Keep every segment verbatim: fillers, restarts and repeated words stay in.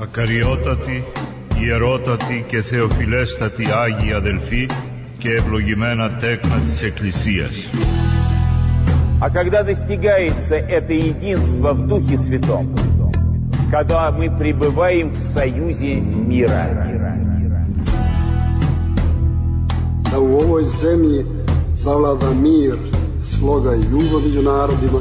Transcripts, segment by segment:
Ακαριότατοι, ιερότατοι και θεοφιλέστατοι Άγιοι αδελφοί και ευλογημένα τέκνα της Εκκλησίας. А когда достигается это единство в Духе Святом, когда мы пребываем в союзе мира. Da u ovoj zemlji zavlada mir, sloga i ljubav među narodima.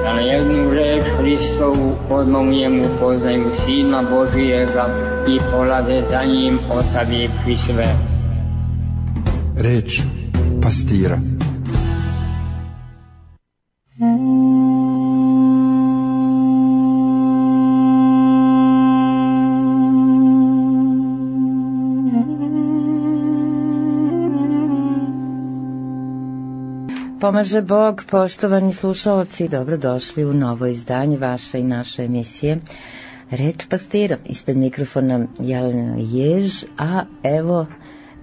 Da na jednu reč Hristovu odmomljemu poznaju Sina Božijega i polade za njim ostavivši sve. Reč pastira. Pomaže Bog, poštovani slušalci, dobrodošli u novo izdanje vaše i naše emisije Reč pastira. Ispred mikrofona Jelena Jež, a evo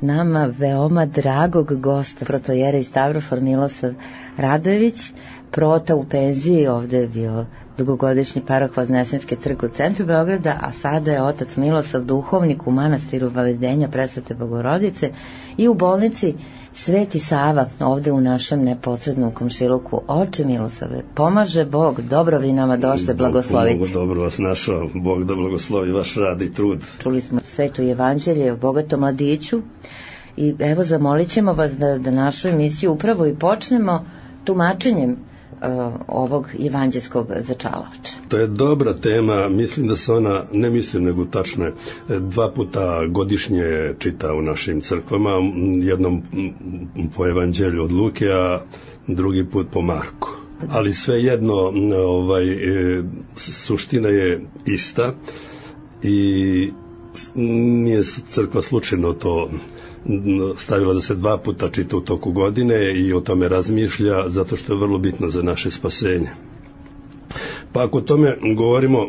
nama veoma dragog gosta, protojera iz Stavrofor Milosav Radojević, prota u penziji, ovde je bio dugogodišnji parah Voznesenske crkve u centru Beograda, a sada je otac Milosav duhovnik u manastiru Vavedenja Presvete Bogorodice i u bolnici Sveti Sava, ovde u našem neposrednom komšiluku. Oče Milosave, pomaže Bog, dobro vi nama došli, blagoslovite. Bog dobro vas našao, Bog da blagoslovi vaš rad i trud. Čuli smo sveto evanđelje o bogatom mladiću i evo zamolit ćemo vas da, da našu emisiju upravo i počnemo tumačenjem uh, ovog evanđelskog začalača. To je dobra tema, mislim da se ona, ne mislim nego tačno je, dva puta godišnje čita u našim crkvama, jednom po evanđelju od Luke, a drugi put po Marku. Ali svejedno, ovaj, suština je ista i nije crkva slučajno to stavila da se dva puta čita u toku godine i o tome razmišlja, zato što je vrlo bitno za naše spasenje. Pa ako o tome govorimo,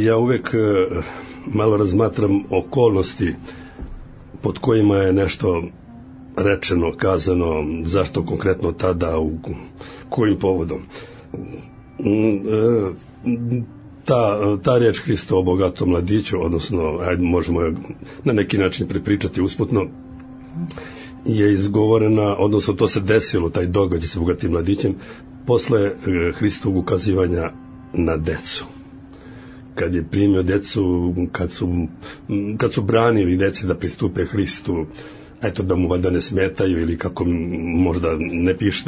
ja uvek malo razmatram okolnosti pod kojima je nešto rečeno, kazano, zašto konkretno tada, u kojim povodom. Ta, ta riječ Hrista o bogatom mladiću, odnosno, ajde, možemo je na neki način prepričati usputno, je izgovorena, odnosno to se desilo, taj događaj sa bogatim mladićem, posle Hristovog ukazivanja na decu. Kad je primio decu, kad su, kad su branili deci da pristupe Hristu, eto da mu valjda ne smetaju ili kako možda ne piše,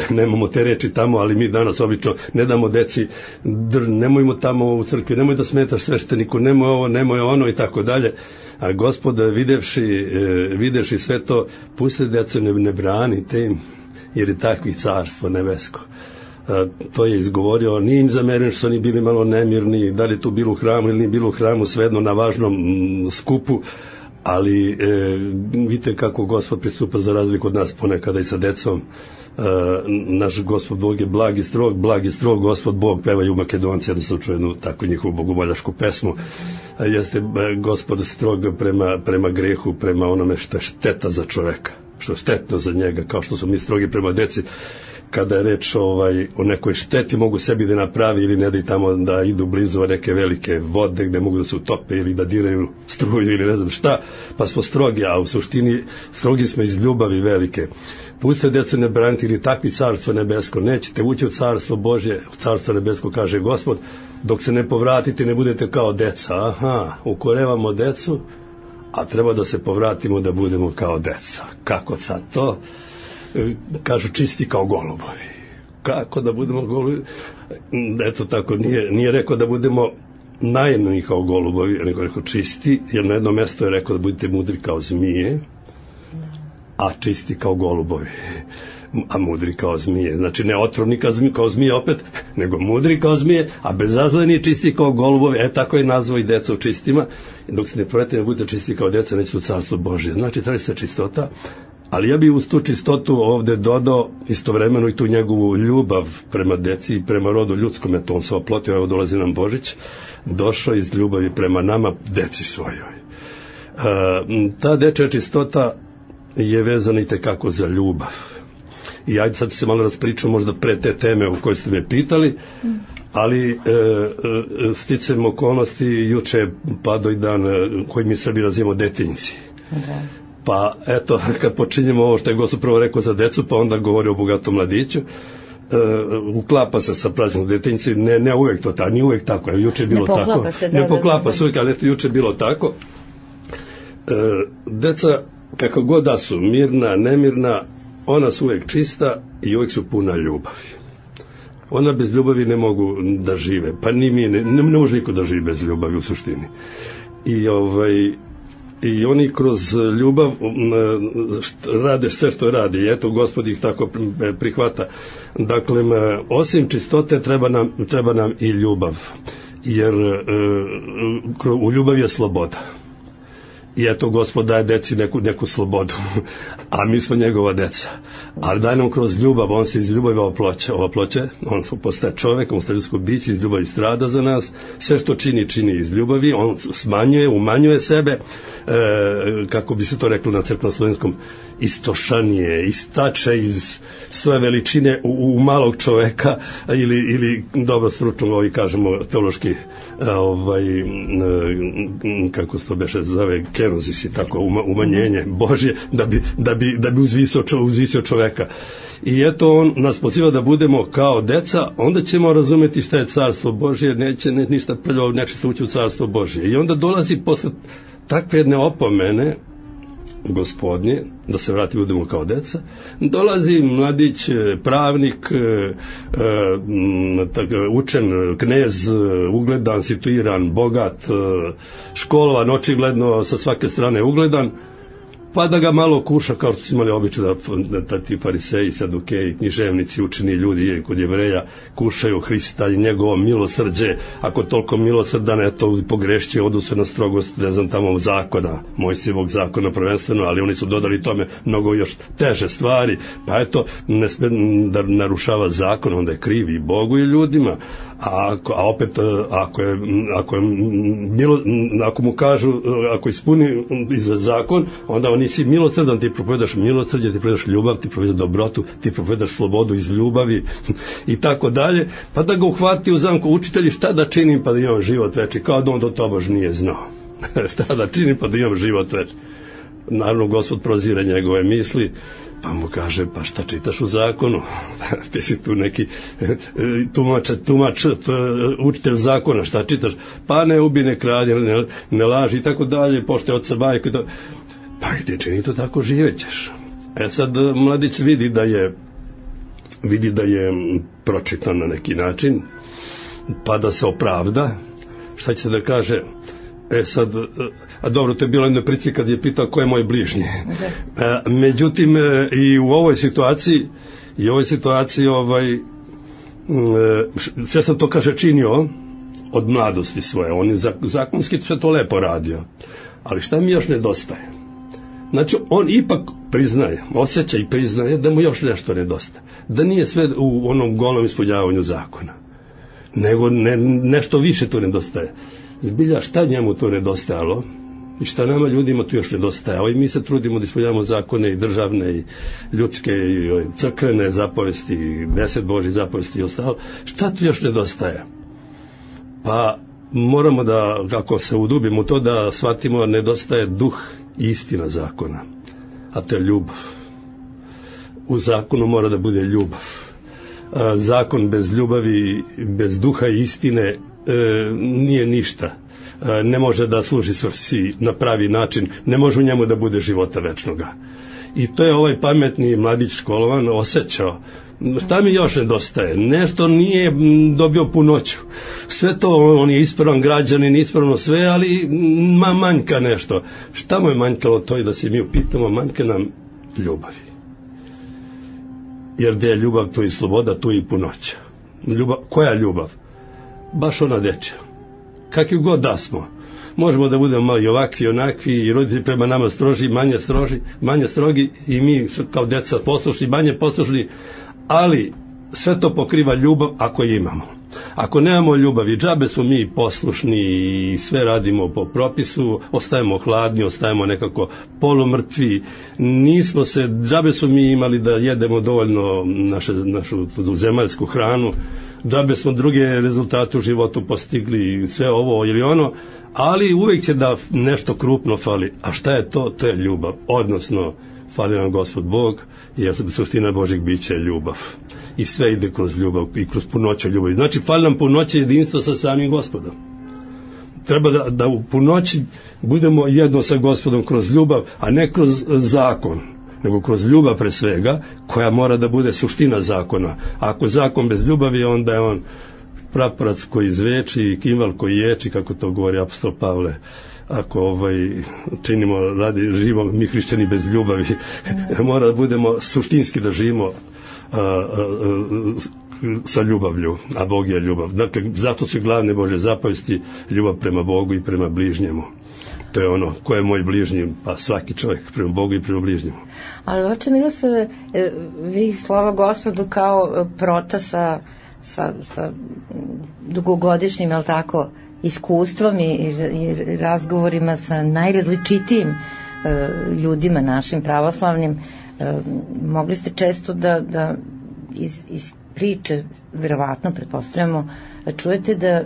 nemamo te reči tamo, ali mi danas obično ne damo deci, dr, nemojmo tamo u crkvi, nemoj da smetaš svešteniku, nemoj ovo, nemoj ono i tako dalje. A Gospod videvši, videvši sve to, pusti decu, ne, ne branite im, jer je takvi carstvo nebesko. A, to je izgovorio, nije im zameren što su oni bili malo nemirni, da li tu bilo u hramu ili nije bilo u hramu, svejedno na važnom m, skupu, ali e, vidite kako Gospod pristupa za razliku od nas ponekada i sa decom. E, naš Gospod Bog je blag i strog, blag i strog Gospod Bog, pevaju Makedonci, da sam čuo jednu takvu njihovu bogomoljašku pesmu. E, jeste Gospod strog prema, prema grehu, prema onome što je šteta za čoveka, što je štetno za njega, kao što su mi strogi prema deci. Kada je reč ovaj, o nekoj šteti, mogu sebi da napravi ili ne da i tamo da idu blizu neke velike vode gde mogu da se utope ili da diraju struju ili ne znam šta, pa smo strogi, a u suštini strogi smo iz ljubavi velike. Puste decu ne braniti ili takvi carstvo nebesko, nećete ući u carstvo Božje, u carstvo nebesko, kaže Gospod, dok se ne povratite ne budete kao deca. Aha, ukorevamo decu, a treba da se povratimo da budemo kao deca. Kako sad to? Kažu čisti kao golubovi. Kako da budemo golubovi? Eto tako, nije, nije rekao da budemo naivni kao golubovi, nego rekao čisti, jer na jedno mjesto je rekao da budete mudri kao zmije, a čisti kao golubovi. A mudri kao zmije. Znači ne otrovni kao zmije opet, nego mudri kao zmije, a bezazleni čisti kao golubovi. E tako je nazvao i deca u čistima. Dok se ne provedete da budete čisti kao deca, nećete u carstvo Božje. Znači traži se čistota. Ali ja bih uz tu čistotu ovde dodao istovremeno i tu njegovu ljubav prema deci i prema rodu ljudskom, eto on se oplotio, evo dolazi nam Božić, došao iz ljubavi prema nama, deci svojoj. E, ta dečja čistota je vezana i tekako za ljubav. I ajde sad se malo raspričam možda pre te teme u kojoj ste me pitali, ali e, e, sticam okolnosti, juče je padao i dan koji mi Srbi nazivamo detinjci. Da. Pa eto, kad počinjemo ovo što je Gospod prvo rekao za decu, pa onda govori o bogatom mladiću, Uh, uklapa se sa praznim detinjci, ne, ne uvek to tako, nije uvek tako, juče je bilo ne tako, se, da, ne poklapa da, se uvek, ali eto juče je bilo tako. Uh, deca, kako god da su, mirna, nemirna, ona su uvek čista i uvek su puna ljubavi. Ona bez ljubavi ne mogu da žive, pa ni mi, ne, ne može niko da živi bez ljubavi u suštini. I ovaj i oni kroz ljubav rade sve što radi i eto Gospod ih tako prihvata. Dakle, osim čistote treba nam, treba nam i ljubav, jer u ljubavi je sloboda. I eto Gospod daje deci neku, neku slobodu, a mi smo njegova deca. Ali daje nam kroz ljubav, on se iz ljubavi oploće, oploće, on postaje čovek, on postaje ljudsko biće, iz ljubavi strada za nas, sve što čini, čini iz ljubavi, on smanjuje, umanjuje sebe, e, kako bi se to reklo na crkveno-slovenskom, istošanije, istače iz svoje veličine u, u malog čoveka ili, ili dobro stručno ovi kažemo teološki ovaj, kako se to beše zove kenozis i tako umanjenje Božje da bi, da bi, da bi uzvisio, uzvisio čoveka. I eto on nas poziva da budemo kao deca, onda ćemo razumeti šta je carstvo Božje, neće ne, ništa prljavo, neće se ući u carstvo Božje. I onda dolazi posle takve jedne opomene Gospodnje, da se vrati budemo kao deca, dolazi mladić, pravnik, učen, knez, ugledan, situiran, bogat, školovan, očigledno sa svake strane ugledan, pa da ga malo kuša, kao što su imali običaj da, da ti fariseji, sadukeji, književnici, učeni ljudi kod Jevreja kušaju Hrista i njegovo milosrđe, ako toliko milosrdan, eto, pogrešće, odu se na strogost, ne znam, tamo zakona, Mojsijevog zakona prvenstveno, ali oni su dodali tome mnogo još teže stvari, pa eto, ne sme da narušava zakon, onda je kriv i Bogu i ljudima. A, ako, a opet ako je, ako je milo, ako mu kažu ako ispuni za zakon, onda on nisi milosrdan, ti propovedaš milosrđe, ti propovedaš ljubav, ti propovedaš dobrotu, ti propovedaš slobodu iz ljubavi i tako dalje, pa da ga uhvati u zamku učitelji, šta da činim pa da imam život veći, kao da on do tobož nije znao šta da činim pa da imam život veći. Naravno Gospod prozire njegove misli, pa mu kaže, pa šta čitaš u zakonu? Ti si tu neki tumač, tumač, učitelj zakona, šta čitaš? Pa ne ubi, ne kradi, ne, ne laži i tako dalje, pošte oca majku i to. Pa gdje čini to tako, živećeš. E sad mladić vidi da je vidi da je pročitan na neki način, pa da se opravda. Šta će se da kaže? E sad, a dobro, to je bilo jedno prici kad je pitao ko je moj bližnji. Okay. E, međutim, e, i u ovoj situaciji, i u ovoj situaciji, ovaj, e, sve sam to, kaže, činio od mladosti svoje. On je zakonski sve to lepo radio. Ali šta mi još nedostaje? Znači, on ipak priznaje, osjeća i priznaje da mu još nešto nedostaje. Da nije sve u onom golom ispunjavanju zakona. Nego ne, nešto više tu nedostaje. Zbilja, šta njemu to nedostajalo i šta nama ljudima tu još nedostajalo, i mi se trudimo da ispunjavamo zakone i državne i ljudske i crkvene zapovesti i deset Božjih zapovesti i ostalo, šta tu još nedostaje? Pa moramo da, kako se udubimo u to, da shvatimo, nedostaje duh i istina zakona, a to je ljubav. U zakonu mora da bude ljubav. Zakon bez ljubavi, bez duha i istine E, nije ništa, e, ne može da služi svrsi na pravi način, ne može u njemu da bude života večnoga. I to je ovaj pametni mladić školovan osjećao. Šta mi još nedostaje? Nešto nije dobio punoću. Sve to, on je ispravan građanin, ispravno sve, ali ma, manjka nešto. Šta mu je manjkalo? To je da se mi upitamo, manjka nam ljubavi. Jer gdje je ljubav, tu i sloboda, tu i punoća. Ljubav, koja ljubav? Baš ona dečja. Kakvi god da smo. Možemo da budemo malo i ovakvi, onakvi, i roditelji prema nama stroži, manje stroži, manje strogi, i mi kao deca poslušni, manje poslušni, ali sve to pokriva ljubav ako je imamo. Ako nemamo ljubavi, džabe smo mi poslušni i sve radimo po propisu, ostajemo hladni, ostajemo nekako polumrtvi, nismo se, džabe smo mi imali da jedemo dovoljno naše, našu zemaljsku hranu, džabe smo druge rezultate u životu postigli, sve ovo ili ono, ali uvijek će da nešto krupno fali. A šta je to? To je ljubav. Odnosno, fali nam Gospod Bog, jer suština Božjeg bića je ljubav. I sve ide kroz ljubav i kroz punoću ljubavi. Znači, fali nam punoće jedinstva sa samim Gospodom. Treba da, da u punoći budemo jedno sa Gospodom kroz ljubav, a ne kroz zakon, nego kroz ljubav pre svega, koja mora da bude suština zakona. Ako je zakon bez ljubavi, onda je on praporac koji zveči i kimval koji ječi, kako to govori apostol Pavle. Ako ovaj, činimo, radi, živimo mi hrišćani bez ljubavi, mora da budemo suštinski da živimo a, a, a, sa ljubavlju, a Bog je ljubav. Dakle, zato su glavne Božje zapovesti ljubav prema Bogu i prema bližnjemu. To je ono, ko je moj bližnji? Pa svaki čovjek prema Bogu i prema bližnjemu. Ali oče Miroslave, vi slava Gospodu kao prota sa, sa, sa dugogodišnjim, jel tako, iskustvom i, i razgovorima sa najrazličitijim e, ljudima našim pravoslavnim, e, mogli ste često da, da iz, iz priče, verovatno, pretpostavljamo, čujete da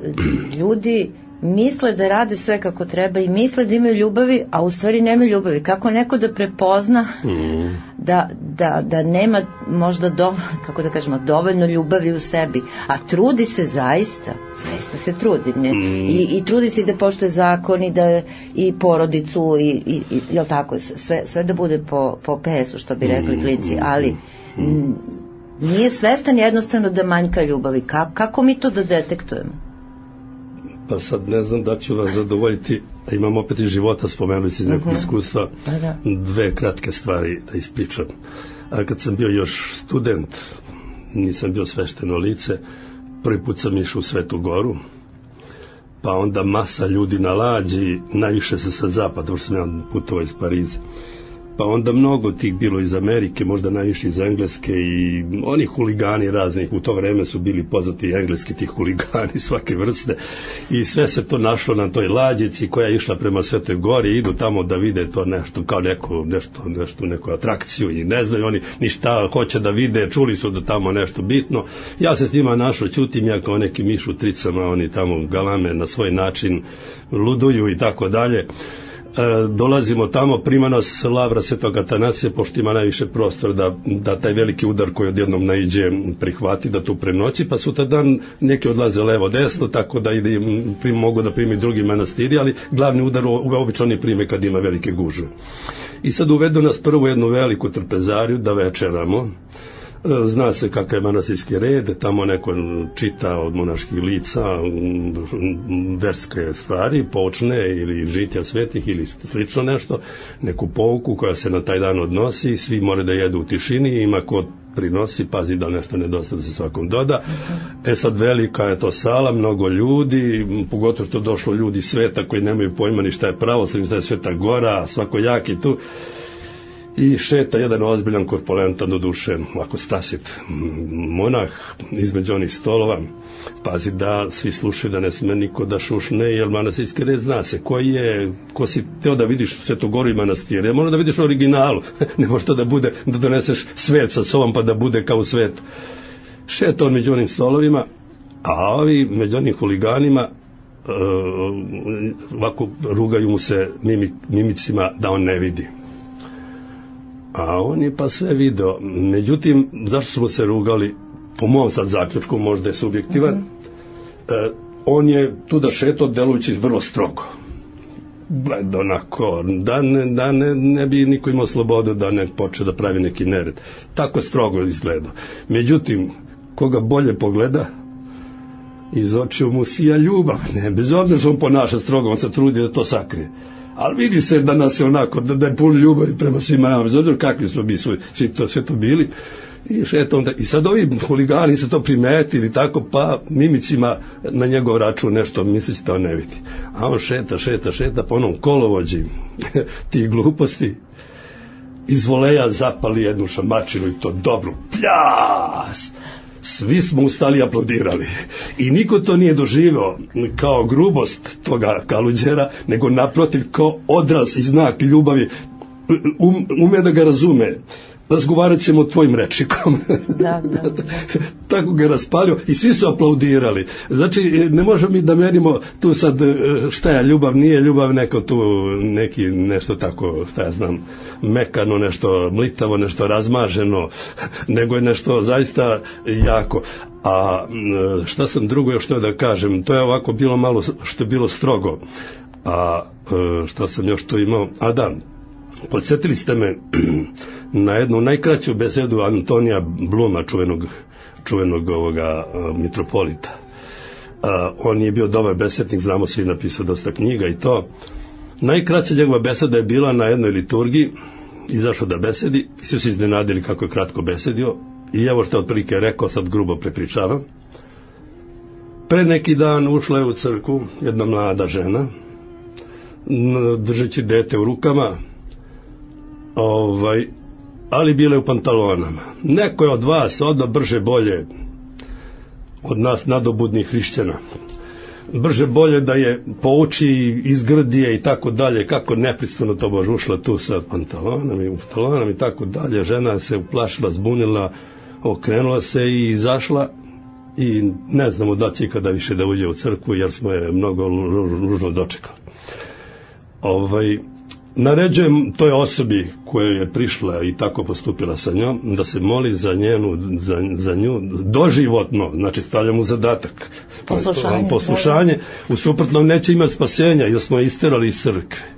ljudi misle da rade sve kako treba i misle da imaju ljubavi, a u stvari nemaju ljubavi. Kako neko da prepozna mm. da, da, da nema možda do, kako da kažemo, dovoljno ljubavi u sebi, a trudi se zaista, zaista se trudi, ne? Mm. I, i trudi se i da poštuje zakon i da i porodicu i, i, i jel tako, sve, sve da bude po, po pesu, što bi rekli klinci, ali mm. nije svestan jednostavno da manjka ljubavi. Ka, kako mi to da detektujemo? Pa sad ne znam da ću vas zadovoljiti, a imam opet iz života, spomenuli se iz nekog uh-huh. iskustva, da, da. Dve kratke stvari da ispričam. A kad sam bio još student, nisam bio svešteno lice, prvi put sam išao u Svetu Goru, pa onda masa ljudi na lađi, najviše se sa zapada, jer sam ja putovao iz Pariza. Pa onda mnogo tih bilo iz Amerike, možda najviše iz Engleske i oni huligani raznih, u to vreme su bili poznati engleski ti huligani svake vrste i sve se to našlo na toj lađici koja je išla prema Svetoj Gori, idu tamo da vide to nešto kao neko, nešto, nešto, neku atrakciju i ne znaju oni ni šta hoće da vide, čuli su da tamo nešto bitno. Ja se s njima našao, ćutim ja kao neki miš u tricama, oni tamo galame na svoj način, luduju i tako dalje. E, dolazimo tamo, prima nas lavra Svetog Atanasija, pošto ima najviše prostor da, da taj veliki udar koji odjednom naiđe prihvati, da tu prenoći, pa sutradan neki odlaze levo desno, tako da ide, prim, mogu da primi drugi manastiri, ali glavni udar obično oni prime kad ima velike gužve. I sad uvedu nas prvo jednu veliku trpezariju da večeramo. Zna se kakav je manastirski red, tamo neko čita od monaških lica verske stvari, poučne ili žitja svetih ili slično nešto, neku pouku koja se na taj dan odnosi, svi moraju da jedu u tišini, ima ko prinosi, pazi da nešto nedostaje da se svakom doda. E sad velika je to sala, mnogo ljudi, pogotovo što došlo ljudi sveta koji nemaju pojma ni šta je pravoslavlje, šta je Sveta Gora, svako jaki tu. I šeta jedan ozbiljan korpulentan, do duše, ovako stasit monah između onih stolova, pazi da svi slušaju, da ne sme niko da šušne, jer manastirski red zna se koji je, ko si teo da vidiš Svetu Goru i manastir, jer mora da vidiš originalu, ne može to da bude, da doneseš svet sa sobom pa da bude kao u svetu. Šeta on među onim stolovima, a ovi među onim huliganima uh, ovako rugaju mu se mimik, mimicima da on ne vidi. A on je pa sve video. Međutim, zašto smo se rugali? Po mom sad zaključku, možda je subjektivan. Mm-hmm. E, on je tu da šeto delujući vrlo strogo. Gled onako, da, ne, da ne, ne bi niko imao slobodu da ne počne da pravi neki nered. Tako je strogo izgledao. Međutim, koga bolje pogleda, iz očiju mu sija ljubav. Ne, bez obzira što on ponaša strogo, on se trudi da to sakrije. Ali vidi se da nas je onako, da, da je pun ljubavi prema svima nama, bez obzira kakvi smo mi svi, svi to, sve to bili. I, šeto onda, i sad ovi huligani se to primetili tako, pa mimicima na njegov račun nešto misleći da on ne vidi. A on šeta, šeta, šeta, pa onom kolovođi tih gluposti iz voleja zapali jednu šamačinu i to dobru pljas. svi smo ustali i aplaudirali. I niko to nije doživio kao grubost toga Kaluđera, nego naprotiv kao odraz i znak ljubavi. Um, ume da ga razume. Razgovarat ćemo tvojim rečnikom. Da, da, da. Tako ga je raspalio i svi su aplaudirali. Znači, ne možemo mi da merimo tu sad šta je ljubav, nije ljubav, neko tu neki nešto tako, šta ja znam, mekano, nešto mlitavo, nešto razmaženo, nego je nešto zaista jako. A šta sam drugo još htio da kažem, to je ovako bilo malo što je bilo strogo. A šta sam još tu imao? A da, podsjetili ste me na jednu najkraću besedu Antonija Bluma, čuvenog, čuvenog ovoga uh, mitropolita. Uh, on je bio dobar besednik, znamo svi, napisao dosta knjiga i to. Najkraća njegova beseda je bila na jednoj liturgiji, izašao da besedi, svi su iznenadili kako je kratko besedio i evo što je otprilike rekao, sad grubo prepričavam. Pre neki dan ušla je u crkvu jedna mlada žena, držeći dete u rukama, ovaj, ali bile u pantalonama. Neko je od vas odo brže bolje od nas nadobudnih hrišćana, brže bolje da je pouči, izgrdije i tako dalje, kako nepristojno to bože ušla tu sa pantalonama i u pantalonama i tako dalje. Žena se uplašila, zbunila, okrenula se i izašla i ne znamo da će ikada više da uđe u crkvu, jer smo je mnogo ružno dočekali. Ovaj, naređujem toj osobi koja je prišla i tako postupila sa njom da se moli za njenu, za, za nju doživotno, znači stavljamo u zadatak poslušanje, poslušanje, u suprotnom neće imati spasenja jer smo je isterali iz crkve.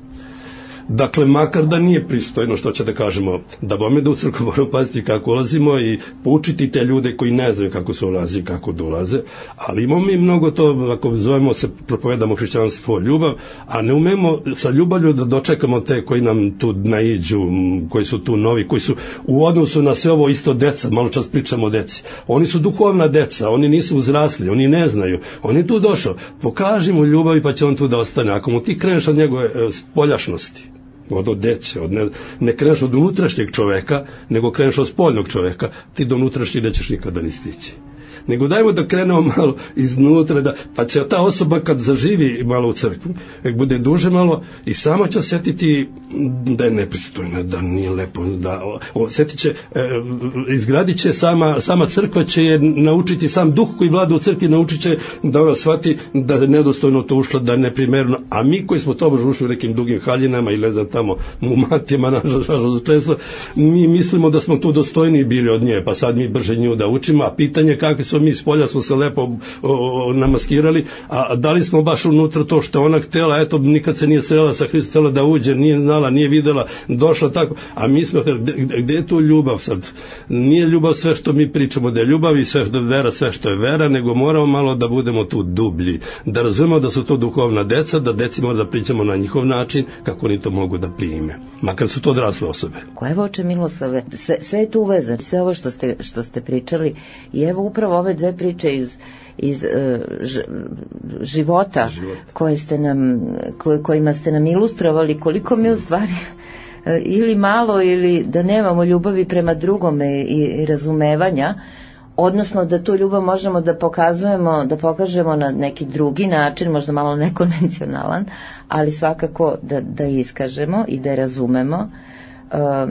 Dakle, makar da nije pristojno, što će da kažemo, da bome da u crkvu moramo paziti kako ulazimo i poučiti te ljude koji ne znaju kako se ulazi i kako dolaze, ali imamo mi mnogo to, ako zovemo se, propovedamo hrišćanstvo ljubav, a ne umemo sa ljubavlju da dočekamo te koji nam tu naiđu, koji su tu novi, koji su u odnosu na sve ovo isto deca, malo čas pričamo o deci. Oni su duhovna deca, oni nisu uzrasli, oni ne znaju, on je tu došao, pokaži mu ljubav pa će on tu da ostane. Ako mu ti kreneš od njegove spoljašnosti, od odeće, od ne, ne kreneš od unutrašnjeg čoveka, nego kreneš od spoljnog čoveka, ti do unutrašnjeg nećeš nikada ni stići. Nego dajmo da krenemo malo iznutra, da, pa će ta osoba kad zaživi malo u crkvu, nek bude duže malo i sama će osjetiti da je nepristojna, da nije lepo, da osjetit će, e, izgradit će sama, sama crkva će je naučiti, sam duh koji vlada u crkvi naučit će da ona shvati da je nedostojno to ušla, da je neprimerno, a mi koji smo to bože ušli u nekim dugim haljinama i ne znam tamo u matijama nažalost često, mi mislimo da smo tu dostojniji bili od nje, pa sad mi brže nju da učimo, a pitanje kakvi su mi spolja smo se lepo o, o, namaskirali, a da li smo baš unutra to što ona htjela, eto nikad se nije srela sa Hristom, htjela da uđe, nije znala, nije videla, došla tako, a mi smo, gde, gde je tu ljubav sad? Nije ljubav sve što mi pričamo da je ljubav i sve što je vera, sve što je vera, nego moramo malo da budemo tu dublji, da razumemo da su to duhovna deca, da deci mora da pričamo na njihov način, kako oni to mogu da prime, makar su to odrasle osobe. Koje voče Milosave, sve, sve je tu uvezano, sve ovo što ste, što ste pričali i evo upravo ove dve priče iz iz uh, ž, života Život. koje ste nam koje, kojima ste nam ilustrovali koliko mi u stvari uh, ili malo ili da nemamo ljubavi prema drugome i, i razumevanja, odnosno da tu ljubav možemo da pokazujemo, da pokažemo na neki drugi način, možda malo nekonvencionalan, ali svakako da, da iskažemo i da je razumemo. Uh,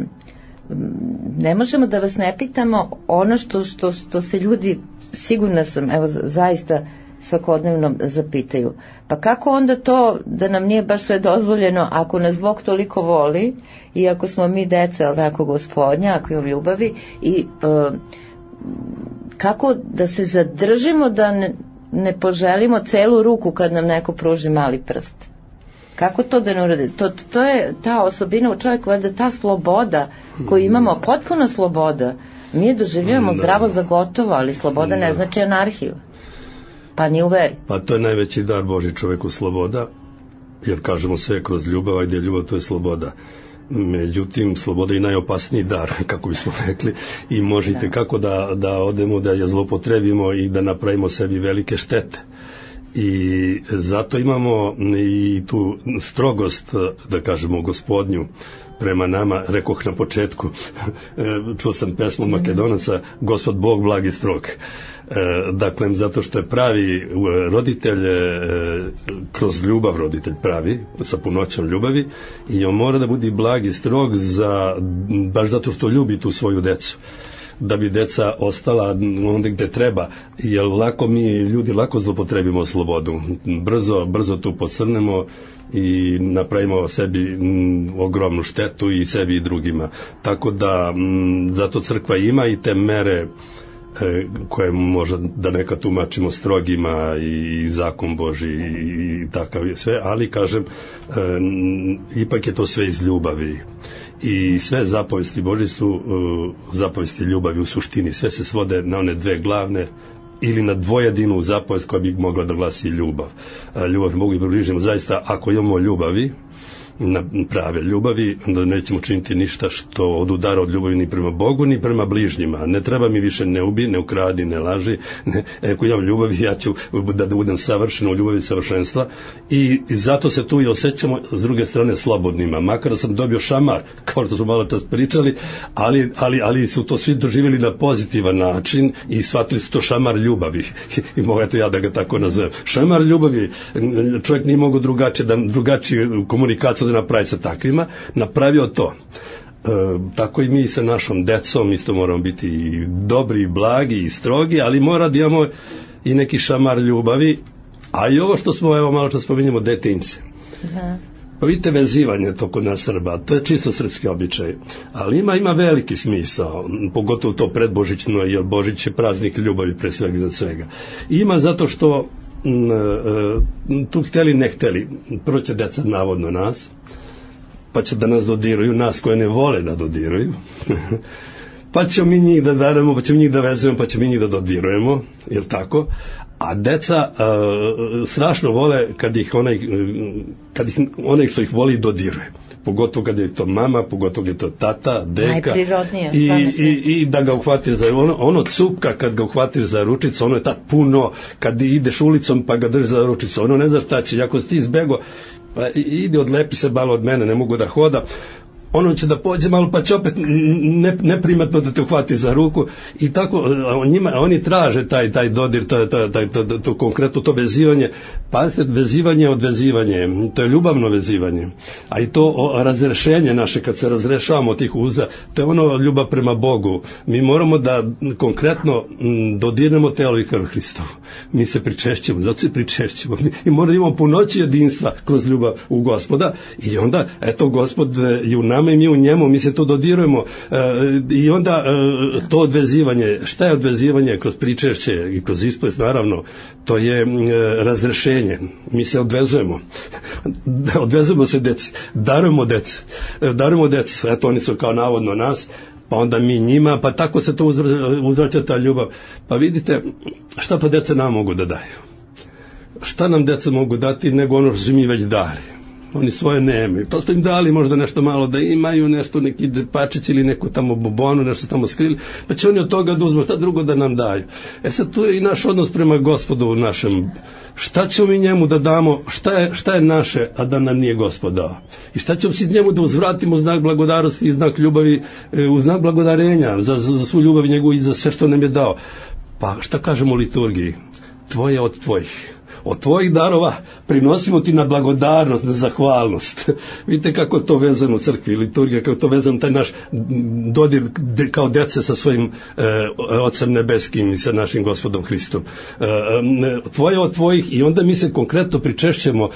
ne možemo da vas ne pitamo ono što, što, što se ljudi, sigurna sam, evo zaista svakodnevno zapitaju. Pa kako onda to da nam nije baš sve dozvoljeno ako nas Bog toliko voli i ako smo mi deca, ali tako Gospodnja, ako imamo ljubavi i uh, kako da se zadržimo da ne, ne poželimo celu ruku kad nam neko pruži mali prst? Kako to da ne uradi? To, to je ta osobina u čovjeku, da ta sloboda koju imamo, potpuna sloboda, mi je doživljujemo da. zdravo za gotovo, ali sloboda da. ne znači anarhiju. Pa ni u veri. Pa to je najveći dar Božji čoveku, sloboda, jer kažemo sve kroz ljubav, a gdje je ljubav, to je sloboda. Međutim, sloboda je najopasniji dar, kako bismo rekli, i možete da. kako da, da odemo, da je zlopotrebimo i da napravimo sebi velike štete. i zato imamo i tu strogost, da kažemo, gospodnju prema nama. Rekoh na početku, čuo sam pesmu Makedonaca, Gospod Bog blag i strog. Dakle, zato što je pravi roditelj, kroz ljubav roditelj pravi, sa punoćom ljubavi, i on mora da bude blag i strog za, baš zato što ljubi tu svoju decu, da bi deca ostala onda gde treba, jer lako mi ljudi lako zlopotrebimo slobodu, brzo, brzo tu posrnemo i napravimo sebi m, ogromnu štetu i sebi i drugima. Tako da m, zato crkva ima i te mere e, koje možda da neka tumačimo strogima i, i zakon Boži i, i takav je sve, ali kažem e, m, ipak je to sve iz ljubavi. I sve zapovesti Božje su uh, zapovesti ljubavi u suštini. Sve se svode na one dve glavne ili na dvojedinu zapovest koja bi mogla da glasi ljubav. Uh, ljubav mogu i približimo. Zaista, ako imamo ljubavi, na prave ljubavi, onda nećemo činiti ništa što odudara od ljubavi ni prema Bogu, ni prema bližnjima. Ne treba mi više ne ubi, ne ukradi, ne laži. Ne, ako imam ljubavi, ja ću da, da budem savršen u ljubavi savršenstva. I, I zato se tu i osjećamo s druge strane slobodnima. Makar da sam dobio šamar, kao što smo malo čas pričali, ali, ali, ali su to svi doživjeli na pozitivan način i shvatili su to šamar ljubavi. I mogu eto ja da ga tako nazovem. Šamar ljubavi, čovjek nije mogo drugačije, da drugačiju komunikaciju da napravi sa takvima, napravio to. E, tako i mi sa našom decom isto moramo biti i dobri, i blagi, i strogi, ali mora da imamo i neki šamar ljubavi, a i ovo što smo, evo malo čas spominjemo, detinjce. Da. Pa vidite, vezivanje to kod nas Srba, to je čisto srpski običaj, ali ima, ima veliki smisao, pogotovo to predbožićno, jer Božić je praznik ljubavi pre svega za svega. Ima zato što tu hteli ne hteli, prvo će deca navodno nas, pa će da nas dodiruju, nas koje ne vole da dodiruju, pa ćemo mi njih da daremo, pa ćemo njih da vezujemo, pa ćemo mi njih da dodirujemo, jel tako? A deca uh, strašno vole kad ih onaj, kad ih onaj što ih voli dodiruje. Pogotovo kad je to mama, pogotovo kad je to tata, deka, i, i, i da ga uhvatiš za ono, ono cupka kad ga uhvatiš za ručicu, ono je tad puno, kad ideš ulicom pa ga drži za ručicu, ono ne znaš šta će, ako si ti izbego, pa ide odlepi se malo od mene, ne mogu da hoda, ono će da pođe malo pa će opet ne, neprimatno da te uhvati za ruku i tako njima, oni traže taj, taj dodir, taj, taj, taj, to, to konkretno to vezivanje. Pazite, vezivanje od vezivanje, to je ljubavno vezivanje, a i to o, razrešenje naše kad se razrešavamo tih uza, to je ono ljubav prema Bogu. Mi moramo da konkretno m, dodirnemo telo i krv Hristovu. Mi se pričešćemo, zato se pričešćemo i moramo da imamo punoći jedinstva kroz ljubav u Gospoda i onda, eto, Gospod je u nama i mi u njemu, mi se to dodirujemo e, i onda e, to odvezivanje, šta je odvezivanje kroz pričešće i kroz ispovest, naravno, to je e, razrešenje. Mi se odvezujemo. Odvezujemo se deci, darujemo deci, darujemo deci, eto oni su kao navodno nas, pa onda mi njima, pa tako se to uzvraća ta ljubav. Pa vidite, šta pa deca nam mogu da daju? Šta nam deca mogu dati nego ono što su mi već dali? Oni svoje nemaju. To smo im dali možda nešto malo da imaju, nešto neki džepačić ili neku tamo bobonu, nešto tamo skrili, pa će oni od toga da uzmu, šta drugo da nam daju. E sad tu je i naš odnos prema Gospodu u našem. Šta ćemo mi njemu da damo, šta je, šta je naše, a da nam nije Gospod dao? I šta ćemo si njemu da uzvratimo u znak blagodarosti i znak ljubavi, u znak blagodarenja za, za, za svu ljubav njegovu i za sve što nam je dao? Pa šta kažemo u liturgiji? Tvoje od tvojih. Od tvojih darova prinosimo ti na blagodarnost, na zahvalnost. Vidite kako je to vezano u crkvi, liturgija, kako je to vezano taj naš dodir de, kao dece sa svojim e, Ocem nebeskim i sa našim Gospodom Hristom. E, e, tvoje od tvojih i onda mi se konkretno pričešćemo,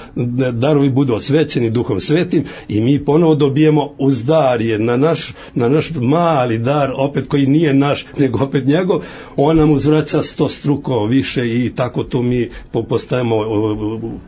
darovi budu osvećeni Duhom Svetim i mi ponovo dobijemo uzdarje na naš, na naš mali dar, opet koji nije naš, nego opet njegov, on nam uzvraća sto struko više i tako to mi postajemo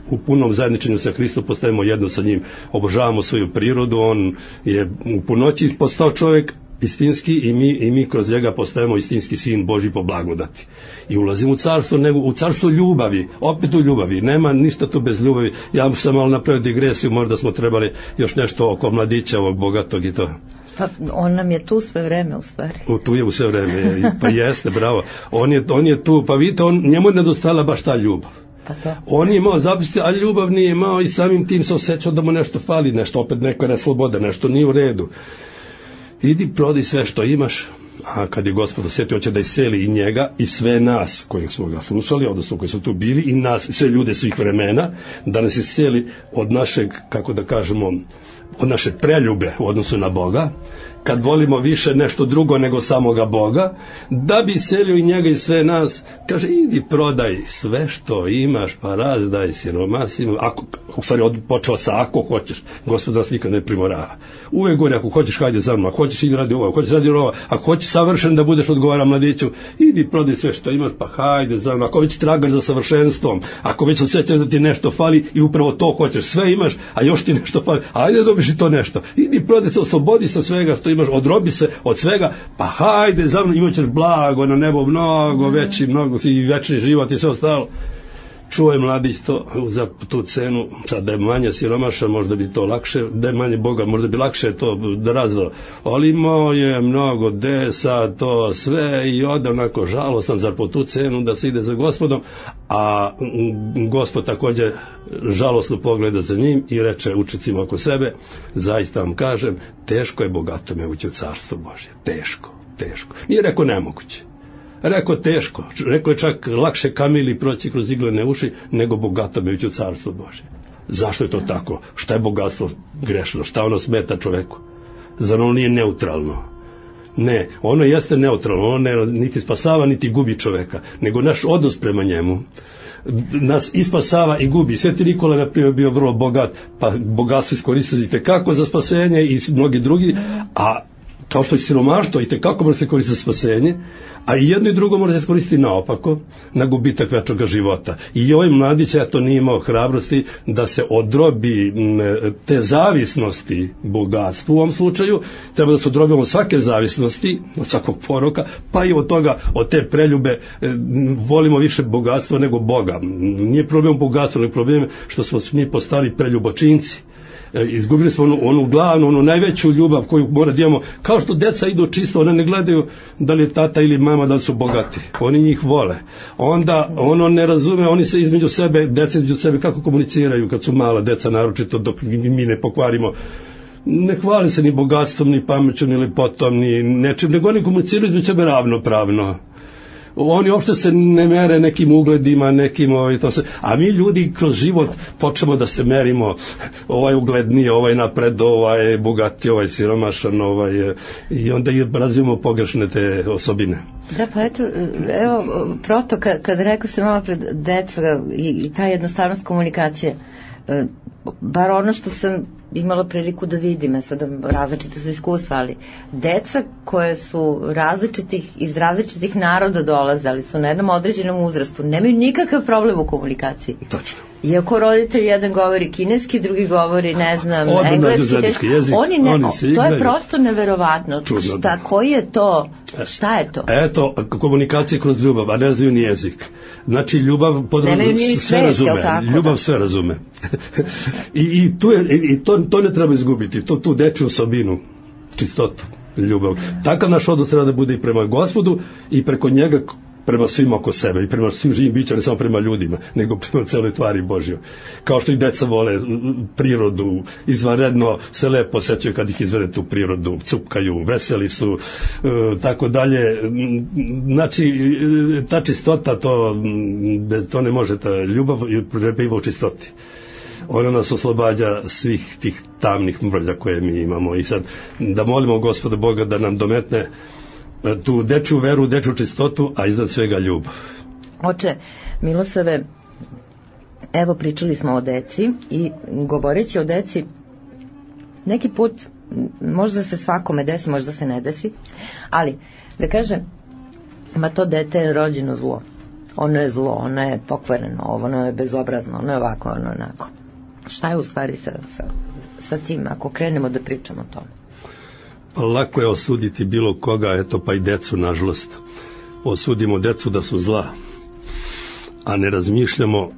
u punom zajedničenju sa Hristom, postajemo jedno sa njim, obožavamo svoju prirodu, on je u punoći postao čovjek istinski i mi, i mi kroz njega postajemo istinski sin Božji po blagodati. I ulazimo u carstvo, nego u carstvo ljubavi, opet u ljubavi, nema ništa tu bez ljubavi. Ja sam malo napravio digresiju, možda smo trebali još nešto oko mladića ovog bogatog i to. Pa on nam je tu sve vreme u stvari. U, tu je u sve vreme, pa jeste, bravo. On je, on je tu, pa vidite, on, njemu je nedostala baš ta ljubav. Pa to. On je imao zapisati, a ljubav nije imao i samim tim se osjećao da mu nešto fali, nešto, opet neka nesloboda, nešto nije u redu. Idi prodaj sve što imaš, a kad je Gospod osjetio, hoće da iseli i njega i sve nas koji smo ga slušali, odnosno koji su tu bili, i nas, sve ljude svih vremena, da nas iseli od našeg, kako da kažemo, od naše preljube u odnosu na Boga, kad volimo više nešto drugo nego samoga Boga, da bi iselio i njega i sve nas. Kaže, idi prodaj sve što imaš, pa razdaj siromasima. Ako, u stvari, od, počeo sa ako hoćeš. Gospod nas nikad ne primorava. Uvek govori, ako hoćeš, hajde za mnom, ako hoćeš, idi radi ovo, ako hoćeš radi ovo, ako hoćeš savršen da budeš, odgovara mladiću, idi prodaj sve što imaš, pa hajde za mnom. Ako već tragaš za savršenstvom, ako već osjećaš da ti nešto fali i upravo to hoćeš, sve imaš, a još ti nešto fali, ajde dobiš i to nešto. Idi prodaj se, oslobodi sa svega što imaš, odrobi se od svega, pa hajde za mnom, imat ćeš blago na nebo, mnogo veći, mnogo i večni život i sve ostalo. Čuo je mladić to za tu cenu, sad da je manje siromaša, možda bi to lakše, da je manje Boga, možda bi lakše to da razdao. Ali imao je mnogo desa, to sve, i ode onako žalostan, zar po tu cenu da se ide za Gospodom, a Gospod također žalosno pogleda za njim i reče učenicima oko sebe, zaista vam kažem, teško je bogatome ući u carstvo Božje, teško, teško. Nije rekao nemoguće. Rekao teško, rekao je čak lakše kamili proći kroz iglene uši nego bogatome ući u carstvo Božje. Zašto je to tako? Šta je bogatstvo grešno? Šta ono smeta čoveku? Zar ono nije neutralno? Ne, ono jeste neutralno, ono ne, niti spasava niti gubi čoveka, nego naš odnos prema njemu nas ispasava i gubi. Sveti Nikola, na primjer, bio vrlo bogat, pa bogatstvo iskoristite kako za spasenje i mnogi drugi, a kao što je siromaštvo i tekako može se koristiti za spasenje, a i jedno i drugo može se koristiti naopako, na gubitak večnog života. I ovaj mladić, eto, nije imao hrabrosti da se odrobi te zavisnosti bogatstvu u ovom slučaju, treba da se odrobimo svake zavisnosti, od svakog poroka, pa i od toga, od te preljube, volimo više bogatstva nego Boga. Nije problem bogatstva, nego problem što smo mi postali preljubočinci. Izgubili smo onu, onu glavnu, onu najveću ljubav koju mora da imamo. Kao što deca idu čisto, one ne gledaju da li je tata ili mama, da li su bogati. Oni njih vole. Onda ono ne razume, oni se između sebe, deca između sebe kako komuniciraju kad su mala deca, naročito dok mi ne pokvarimo. Ne hvali se ni bogatstvom, ni pamećom, ni lepotom, ni nečim, nego oni komuniciraju između sebe ravnopravno. Oni uopšte se ne mere nekim ugledima, nekim ovaj, to se, a mi ljudi kroz život počnemo da se merimo, ovaj ugledniji, ovaj napred, ovaj bogati, ovaj siromašan, ovaj, i onda i razvijemo pogrešne te osobine. Da, pa eto, evo, proto, kad, kad rekao se malo pred deca i, i ta jednostavnost komunikacije, bar ono što sam imala priliku da vidim, sada različite su iskustva, ali deca koje su različitih, iz različitih naroda dolazali, su na jednom određenom uzrastu, nemaju nikakav problem u komunikaciji. Tačno. Iako roditelj jedan govori kineski, drugi govori, ne znam, Odmah engleski, jezik, oni ne, oni to je prosto neverovatno. Čudno, šta, koji je to? Šta je to? Eto, komunikacija kroz ljubav, a ne znaju ni jezik. Znači, ljubav podrazumije, sve svest, razume. Tako, ljubav da. Sve razume. I, i, tu je, i to, to ne treba izgubiti, to, tu dečju osobinu, čistotu, ljubav. Takav naš odnos treba da bude i prema Gospodu i preko njega prema svim oko sebe i prema svim živim bićima, ne samo prema ljudima, nego prema celoj tvari Božjoj. Kao što i deca vole prirodu, izvanredno se lepo osjećaju kad ih izvedete u prirodu, cupkaju, veseli su, e, tako dalje. Znači, ta čistota, to, to ne može, ta ljubav prebiva u čistoti. Ona nas oslobađa svih tih tamnih mrlja koje mi imamo. I sad da molimo Gospoda Boga da nam dometne tu dečju veru, dečju čistotu, a iznad svega ljubav. Oče Milosave, evo pričali smo o deci i govoreći o deci, neki put možda se svakome desi, možda se ne desi, ali da kažem, ma to dete je rođeno zlo. Ono je zlo, ono je pokvareno, ono je bezobrazno, ono je ovako, ono je onako. Šta je u stvari sa, sa, sa tim, ako krenemo da pričamo o tome? Lako je osuditi bilo koga, eto pa i decu, nažalost. Osudimo decu da su zla, a ne razmišljamo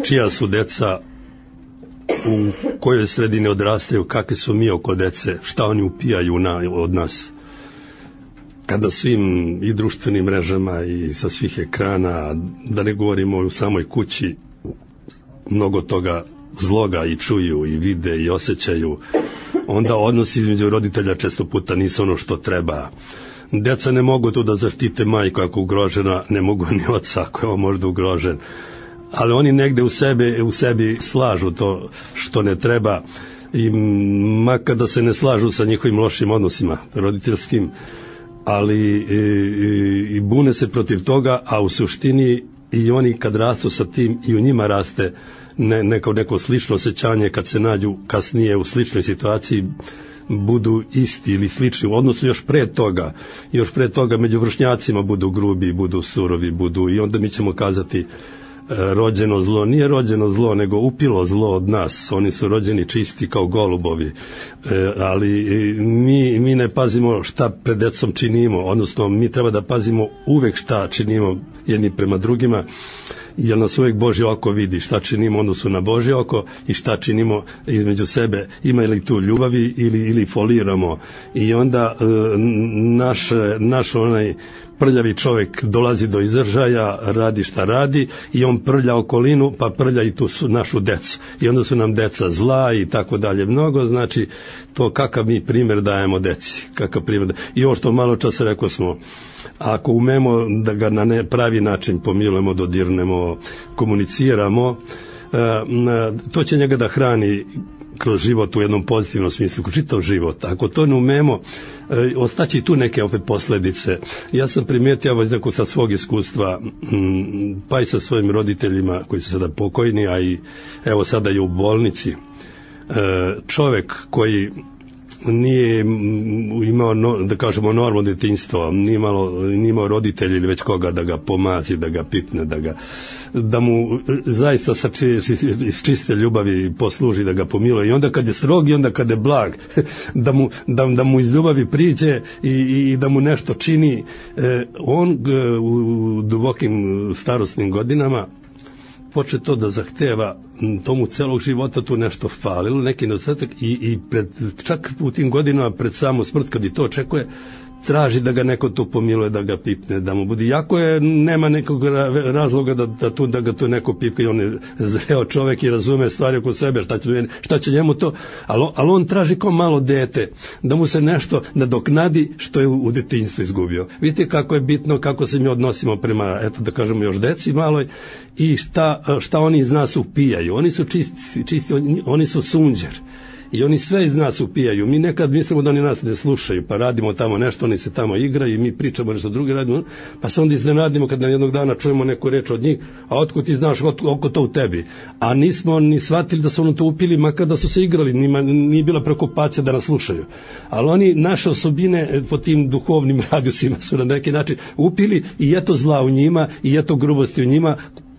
čija su deca, u kojoj sredini odrastaju, kakvi su mi oko dece, šta oni upijaju na, od nas. Kada svim i društvenim mrežama i sa svih ekrana, da ne govorimo u samoj kući, mnogo toga zloga i čuju i vide i osjećaju, onda odnosi između roditelja često puta nisu ono što treba. Deca ne mogu tu da zaštite majku ako je ugrožena, ne mogu ni oca ako je on možda ugrožen, ali oni negde u sebi, u sebi slažu to što ne treba, i makar da se ne slažu sa njihovim lošim odnosima roditeljskim, ali i, i, i bune se protiv toga, a u suštini i oni kad rastu sa tim i u njima raste ne, neko, neko slično osjećanje kad se nađu kasnije u sličnoj situaciji, budu isti ili slični, odnosno još pre toga, još pre toga među vršnjacima budu grubi, budu surovi, budu, i onda mi ćemo kazati rođeno zlo, nije rođeno zlo, nego upilo zlo od nas. Oni su rođeni čisti kao golubovi, e, ali mi, mi ne pazimo šta pred decom činimo, odnosno mi treba da pazimo uvek šta činimo jedni prema drugima, jer nas uvek Božje oko vidi šta činimo odnosu na Božje oko i šta činimo između sebe, ima li tu ljubavi ili, ili foliramo, i onda e, naš, naš onaj prljavi čovjek dolazi do izražaja, radi šta radi, i on prlja okolinu, pa prlja i tu su našu decu, i onda su nam deca zla i tako dalje. Mnogo znači to kakav mi primjer dajemo deci, kakav primjer da... I ovo što malo časa rekao smo, ako umemo da ga na ne pravi način pomilujemo, dodirnemo, komuniciramo, to će njega da hrani kroz život u jednom pozitivnom smislu, kroz čitav život. Ako to ne umemo, ostaći tu neke opet posljedice. Ja sam primijetio ovo iz nekog sad svog iskustva, pa i sa svojim roditeljima koji su sada pokojni, a i evo sada je u bolnici. Čovjek koji nije imao, da kažemo, normalno djetinjstvo, nije imalo, nije imao roditelji ili već koga da ga pomazi, da ga pipne, da ga, da mu zaista sa či, či, iz čiste ljubavi posluži, da ga pomiluje, i onda kad je strog i onda kad je blag, da mu, da, da mu iz ljubavi priđe i, i da mu nešto čini. On u dubokim starosnim godinama poče to da zahteva, tomu celog života tu nešto falilo, neki nedostatak, i, i pred, čak u tim godinama pred samu smrt, kad i to očekuje, traži da ga neko tu pomiluje, da ga pipne, da mu bude, jako je, nema nekog razloga da, da, tu, da ga tu neko pipka, i on je zreo čovjek i razume stvari oko sebe, šta će, šta će njemu to, ali, ali on traži kao malo dete, da mu se nešto nadoknadi što je u, u detinjstvu izgubio. Vidite kako je bitno kako se mi odnosimo prema, eto da kažemo, još deci maloj, i šta, šta oni iz nas upijaju. Oni su čisti, čisti oni, oni su sunđer. I oni sve iz nas upijaju. Mi nekad mislimo da oni nas ne slušaju, pa radimo tamo nešto, oni se tamo igraju i mi pričamo nešto drugi radimo, pa se onda iznenadimo kad nam jednog dana čujemo neku reč od njih, a otkud ti znaš oko to u tebi? A nismo ni shvatili da su ono to upili, makar da su se igrali, nima, nije bila preokupacija da nas slušaju. Ali oni naše osobine po tim duhovnim radijusima su na neki način upili, i eto zla u njima, i eto grubosti u njima,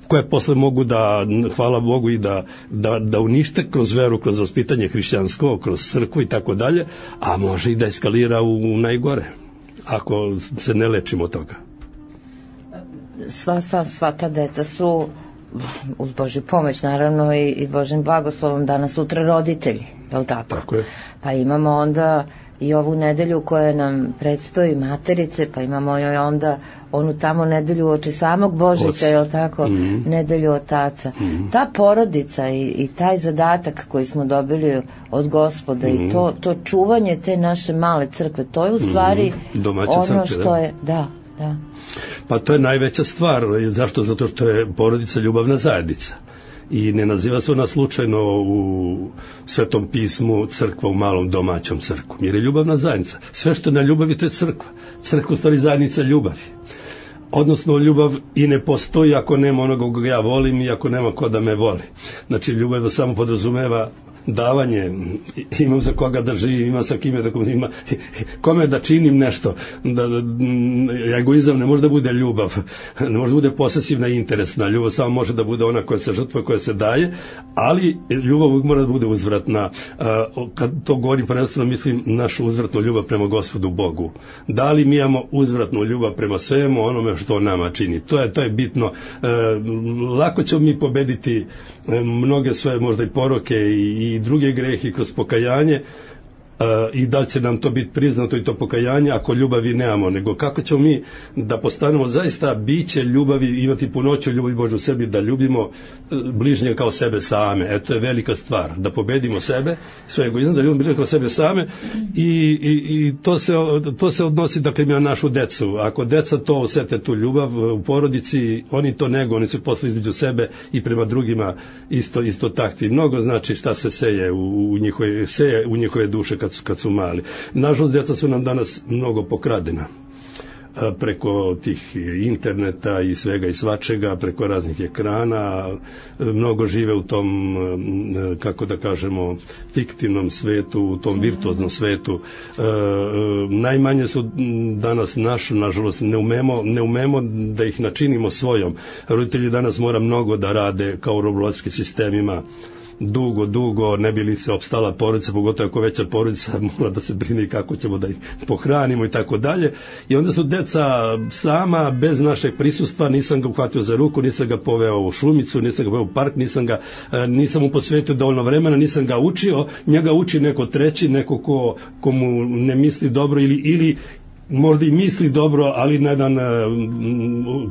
koje posle mogu da, hvala Bogu, i da, da, da unište kroz veru, kroz vaspitanje hrišćansko, kroz crkvu i tako dalje, a može i da eskalira u, u najgore, ako se ne lečimo od toga. Sva, sva, sva ta deca su, uz Božju pomoć naravno i, i Božim blagoslovom, danas sutra roditelji, je li tako? Tako je. Pa imamo onda i ovu nedelju koja nam predstoji, materice, pa imamo joj onda onu tamo nedelju oči samog Božića, je li tako, mm-hmm. nedelju otaca. Mm-hmm. Ta porodica i, i taj zadatak koji smo dobili od Gospoda, mm-hmm. i to, to čuvanje te naše male crkve, to je u stvari mm-hmm. ono crkve, što da. je, da, da. Pa to je najveća stvar. Zašto? Zato što je porodica ljubavna zajednica. I ne naziva se ona slučajno u Svetom pismu crkva u malom domaćom crkvom, jer je ljubavna zajednica. Sve što na ljubavi, to je crkva. Crkva u stvari zajednica ljubavi. Odnosno, ljubav i ne postoji ako nema onoga koga ja volim i ako nema ko da me voli. Znači, ljubav samo podrazumeva davanje, imam za koga da živim, imam sa kime da ima, kome da činim nešto, da, da, egoizam ne može da bude ljubav, ne može da bude posesivna i interesna, ljubav samo može da bude ona koja se žrtva, koja se daje, ali ljubav uvijek mora da bude uzvratna. Kad to govorim, prvenstveno mislim našu uzvratnu ljubav prema Gospodu Bogu. Da li mi imamo uzvratnu ljubav prema svemu onome što nama čini? To je, to je bitno. Lako ćemo mi pobediti mnoge svoje možda i poroke i, i druge grehe kroz pokajanje, i da će nam to biti priznato i to pokajanje ako ljubavi nemamo, nego kako ćemo mi da postanemo zaista biće ljubavi, imati punoću ljubavi Božju u sebi, da ljubimo bližnje kao sebe same. Eto, to je velika stvar, da pobedimo sebe, sve egoizam, da ljubimo bližnje kao sebe same i, i, i to, se, to se odnosi dakle na našu decu. Ako deca to osete, tu ljubav u porodici, oni to nego, oni su posle između sebe i prema drugima isto, isto takvi. Mnogo znači šta se seje u, u, njihove, seje u njihove duše kad su, kad su mali. Nažalost, deca su nam danas mnogo pokradena preko tih interneta i svega i svačega, preko raznih ekrana, mnogo žive u tom, kako da kažemo, fiktivnom svetu, u tom virtuoznom svetu. E, najmanje su danas naš, nažalost, ne umemo, ne umemo da ih načinimo svojom. Roditelji danas mora mnogo da rade kao u robolotskim sistemima, dugo, dugo, ne bi li se opstala porodica, pogotovo ako veća porodica, mora da se brine kako ćemo da ih pohranimo i tako dalje. I onda su deca sama, bez našeg prisustva, nisam ga uhvatio za ruku, nisam ga poveo u šumicu, nisam ga poveo u park, nisam ga, nisam mu posvetio dovoljno vremena, nisam ga učio, njega uči neko treći, neko ko, ko mu ne misli dobro ili, ili možda i misli dobro, ali na jedan,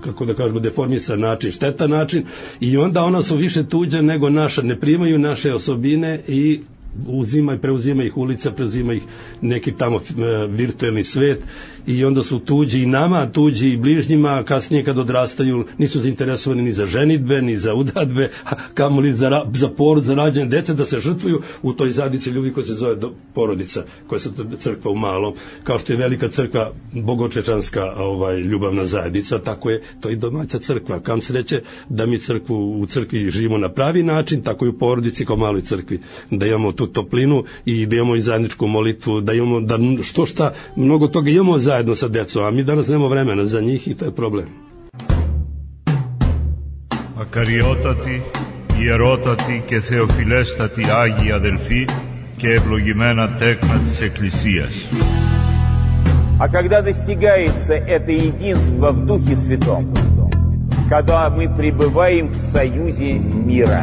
kako da kažemo, deformisan način, štetan način, i onda ona su više tuđa nego naša, ne primaju naše osobine i uzima i preuzima ih ulica, preuzima ih neki tamo virtuelni svet i onda su tuđi i nama, tuđi i bližnjima, kasnije kad odrastaju nisu zainteresovani ni za ženidbe, ni za udadbe, kamoli za, za porod, za rađanje dece, da se žrtvuju u toj zajednici ljudi koja se zove porodica, koja se crkva u malom, kao što je velika crkva bogočečanska ovaj, ljubavna zajednica, tako je to i domaća crkva. Kam sreće da mi crkvu u crkvi živimo na pravi način, tako i u porodici kao maloj crkvi, da imamo tu toplinu i da imamo i zajedničku molitvu, da imamo, da što šta, mnogo toga imamo zajedno sa decom, a mi danas nemamo vremena za njih i to je problem. Ακαριότατοι, ιερότατοι και θεοφιλέστατοι Άγιοι αδελφοί και ευλογημένα τέκνα της Εκκλησίας. А когда достигается это единство в Духе Святом, когда мы пребываем в союзе мира,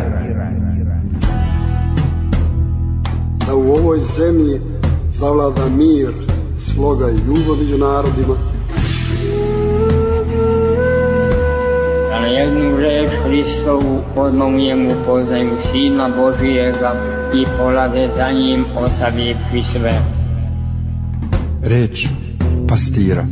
da u ovoj zemlji zavlada mir, sloga i ljubav među narodima, da na jednu reč Hristovu odmah u njemu poznaju Sina Božijega i polaze za njim ostavivši sve. Reč pastira.